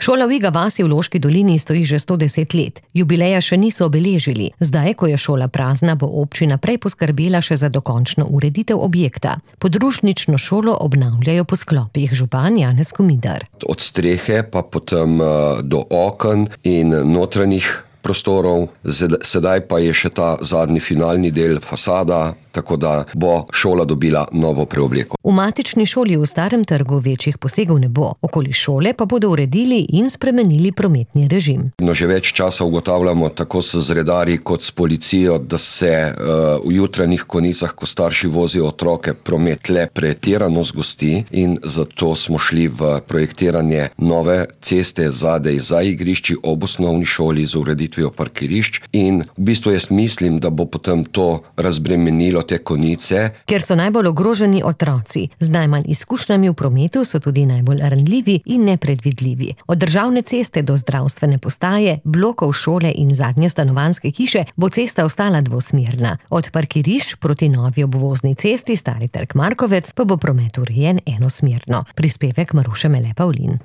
Šola v Iga vasi v Loški dolini stoji že 110 let. Jubileja še niso obeležili. Zdaj, ko je šola prazna, bo občina prej poskrbela še za dokončno ureditev objekta. Podružnično šolo obnavljajo po sklopih, župan Janez Komidar. Od strehe pa potem do oken in notranjih prostorov. Sedaj pa je še ta zadnji finalni del, fasada, tako da bo šola dobila novo preobleko. V matični šoli v Starem trgu večjih posegov ne bo. Okoli šole pa bodo uredili in spremenili prometni režim. Že več časa ugotavljamo tako s redarji kot s policijo, da se v jutranjih konicah, ko starši vozijo otroke, promet le pretirano zgosti in zato smo šli v projektiranje nove ceste zadaj za igrišči ob osnovni šoli z ureditvijo parkirišč in v bistvu jaz mislim, da bo potem to razbremenilo te konice. Ker so najbolj ogroženi otroci. Z najmanj izkušnjami v prometu so tudi najbolj ranljivi in nepredvidljivi. Od državne ceste do zdravstvene postaje, blokov šole in zadnje stanovanjske hiše bo cesta ostala dvosmerna. Od parkirišč proti novi obvozni cesti Stari trg Markovec pa bo promet urejen enosmerno. Prispevek Maruše Mele Pavlin.